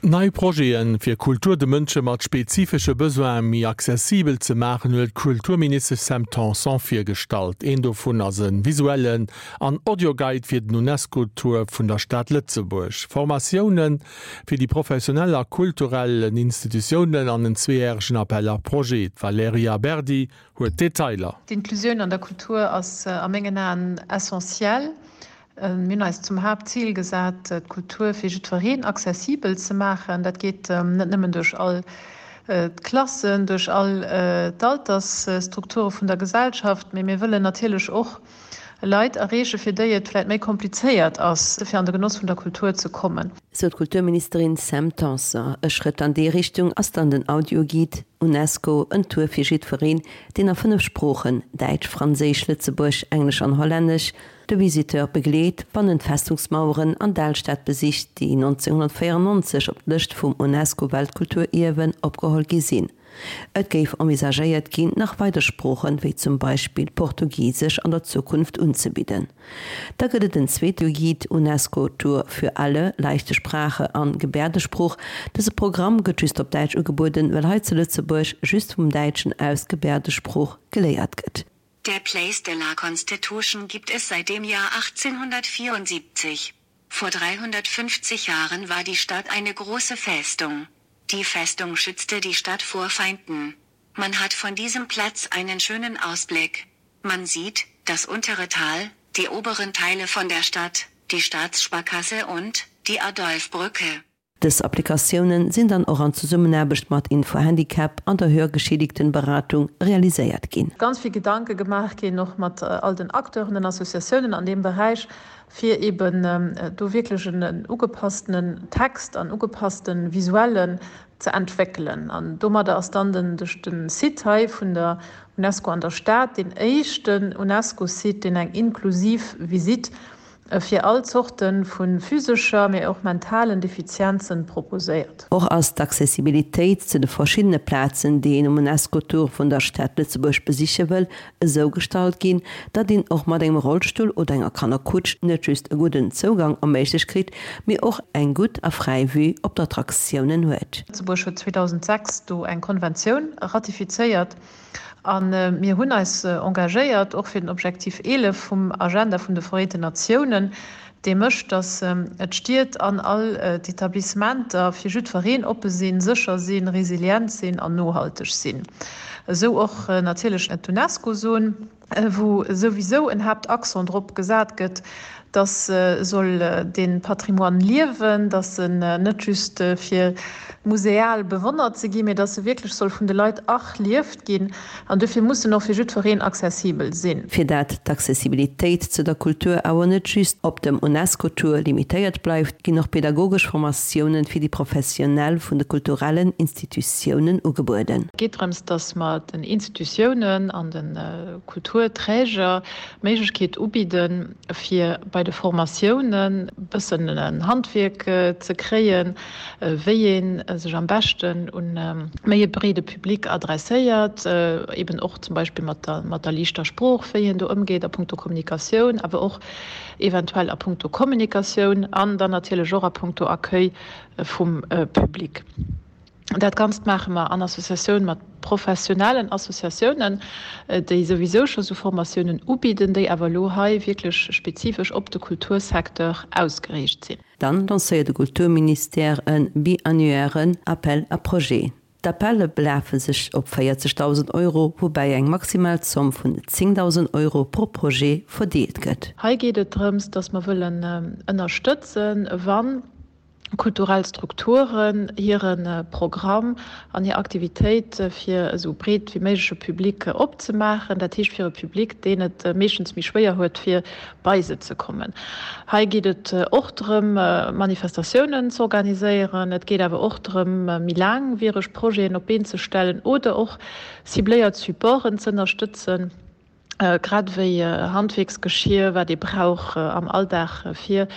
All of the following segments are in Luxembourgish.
Nei Projeten, fir Kultur de Mënsche mat spezifesche Besoine méi accessibel ze maachen, huet d'Kulturministesch Sam Tanson virgestallt. Een dovun ass e visuellen an Audioguide fir den UNESCO-Tour vun der Stad Lëtzebuerg, Formatioune fir déi professionell a kulturell Institutiounen an en zweejäregen Appel à projets. D'Valerija Berdi huet d'Detailer. D'Inclusioun an der Kultur ass a mengen Aen essentiell. Mir hunn eis zum Haaptzil gesat, d'Kultur fir jiddwereen accessibel ze maachen. Dat geet net nëmmen duerch all d'Klassen, duerch all d'Altersstrukture vun der Gesellschaft, mee mir wëllen natierlech och Leit erreechen, fir déi et vläicht méi komplizéiert ass, fir an de Genoss vun der Kultur ze kommen. Sou d'Kulturministerin Sam Tanson. E Schrëtt an déi Richtung ass dann den Audioguide Unesco, en Tour fir jiddwereen, deen a 5 Sproochen, Däitsch, Franséisch, Lëtzebuerg, Englesch an Hollännesch, de Visiteur begleet, wann en d'Festungsmaueren an d'Alstad besicht, déi 1994 op d'Lëscht vum UNESCO-Weltkulturierwen opgeholl gi sinn. Et géif envisagéiert ginn, nach weider Sproochen, wéi zum Beispill Portugisesch, an der Zukunft unzebidden. Da gëtt et en zweete Guide UNESCO Tour für alle, Leichte Sprache an Gebärdesprooch. Dëse Programm gëtt just op Däitsch ugebueden, well hei zu Lëtzebuerg just vum Däitschen aus Gebärdesprooch geléiert gëtt. Der Place de la Constitution gibt es seit dem Jahr 1874. Vor 350 Jahren war die Stadt eine große Festung. Die Festung schützte die Stadt vor Feinden. Man hat von diesem Platz einen schönen Ausblick. Man sieht das untere Tal, die oberen Teile von der Stadt, die Staatssparkasse und die Adolfbrücke. Dës Applikatiounen sinn dann och an Zesummenaarbecht mat Info-Handicap an der Hörgeschädigtenberatung realiséiert ginn. Ganz vill Gedanke gemaach ginn, och mat all den Acteuren, den Associatiounen an deem Beräich, fir eeben do wierklech en ugepasstenen Text an ugepasste Visuellen ze entwéckelen. An domadder ass dann den de Site hei vun der UNESCO an der Stad deen éischten UNESCO-Site, deen eng inklusiv Visitt fir all Zorte vu physescher, mee och mentalen Defizienzen proposéiert. Och ass d'Accessibilitéit zu de verschiddene Plazen, déi een um UNESCO-Tour vun der Stad Lëtzebuerg besiche wëll, esou gestalt ginn, datt een och mat engem Rollstull oder enger Kannerkutsch net just e gudden Zougang erméiglecht kritt, mee och eng gutt a fräi Vue op d'Attraktiounen huet. Lëtzebuerg huet 2006 do eng Konventioun ratifizéiert. A mir hunn eis engagéiert, och fir den Objektiv 11 vum Agenda vun de Vereenten Natiounen, dee mécht, datt d'Stied an all d'Etablissementer fir jiddwereen oppe sinn, sécher sinn, resilient sinn an nohalteg sinn. Esou och natierlech d'UNESCO-Zon. wou souwisou en Haaptaccent drop gesat gëtt, dass soll dee Patrimoine liewen, dass en net just fir museal bewonnert ze ginn, mee dass e wierklech soll vun de Leit erlieft ginn. An dofir muss en och fir jiddwereen accessibel sinn. Fir dat d'Accessibilitéit zu der Kultur awer net just op dem UNESCO-Tour limitéiert bleift, ginn och pedagogesch Formatiounen fir déi Professionell vun de kulturellen Institutiounen ugebueden. Et geet drëms, dass mer den Institutiounen an de Kulturträger d'Méiglechkeet ubidden, fir bei de Formatiounen e bëssen en Handwierk ze kréien, wéi ee sech am beschten un méi e breede Public adresséiert, eben och zum Beispill mat der mat der liichter Sprooch, wéi een do ëmgeet a punkto Kommunikatioun, awer och eventuell a punkto Kommunikatioun an dann natierlech och a punkto Accueil vum Public. Dat Ganzt maache mer an Associatioun mat professionellen Associatiounen, déi souwisou scho sou Formatiounen ubidden, déi awer elo hei wierklech spezifesch op de Kultursecteur ausgeriicht sinn. Dann lancéiert de Kulturministère e biannuairen Appel à projets. D'Appelle belafe sech op 40.000 Euro, woubäi eng maximal Zomm vun 10.000 Euro pro Projet verdeelt gëtt. Hei geet et drëms, dass mer wëllen ënnerstëtzen, wann kulturell Strukturen hire Programm an hir Aktivitéit fir esou breet wéi méigleche Public opzemaachen, dat heescht fir e Public, deen et meeschtens méi schwéier huet, fir bei se ze kommen. Hei geet et och drëm, Manifestatiounen z'organiséieren. Et geet awer och drëm, méi laangwiereg Projeten op d'Been ze stellen oder och cibléiert Supporten z'ënnerstëtzen. grad ewéi Handwierksgeschier, wat ee brauch am Alldag, fir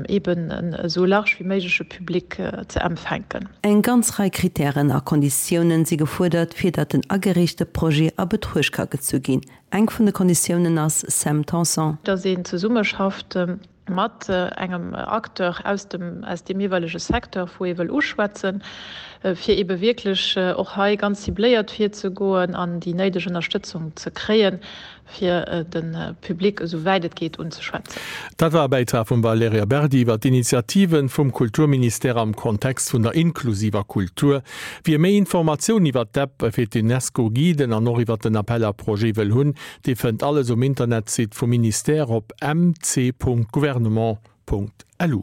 eeben en esou large wéi méigleche Public ze empfänken. Eng ganz Rei Krittären a Konditiounen si gefuerdert, fir datt den agereechte Projet a Betruecht ka gezu ginn. Eng vun de Konditiounen ass, Sam Tanson. Datt een zesummeschafft. mat engem Acteur aus dem, aus deem jeeweilege Secteur, wou ee wëll uschwätzen, fir eebe wierklech och hei ganz cibléiert virzegoen an déi néideg Ënnerstëtzung ze kréien, fir de Public esou wäit et geet unzeschwätzen. Dat war e Bäitrag vum Valerija Berdi iwwer d'Initiativen vum Kulturministère am Kontext vun der inklusiver Kultur. Wie méi Informatioun iwwer d'App fir d'UNESCO-Guiden an och iwwer den Appel à projets wëll hunn, dee fënnt alles um Internetsite vum Ministère op mc.gouvernement.lu.